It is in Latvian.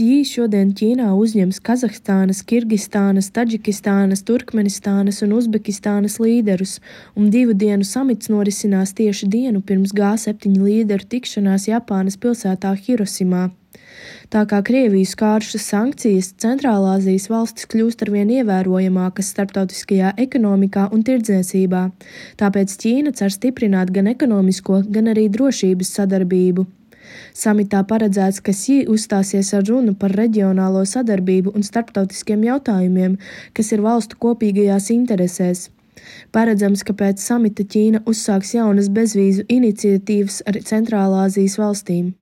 Ksjī šodien Ķīnā uzņems Kazahstānas, Kirgistānas, Taģikistānas, Turkmenistānas un Uzbekistānas līderus, un 2 dienu samits norisinās tieši dienu pirms G7 līderu tikšanās Japānas pilsētā Hirosimā. Tā kā Krieviju skārušas sankcijas, Centrālāzijas valstis kļūst arvien ievērojamākas starptautiskajā ekonomikā un tirdzniecībā, tāpēc Ķīna cer stiprināt gan ekonomisko, gan arī drošības sadarbību. Samitā paredzēts, ka Ksjī uzstāsies ar runu par reģionālo sadarbību un starptautiskiem jautājumiem, kas ir valstu kopīgajās interesēs. Paredzams, ka pēc samita Ķīna uzsāks jaunas bezvīzu iniciatīvas ar Centrālāzijas valstīm.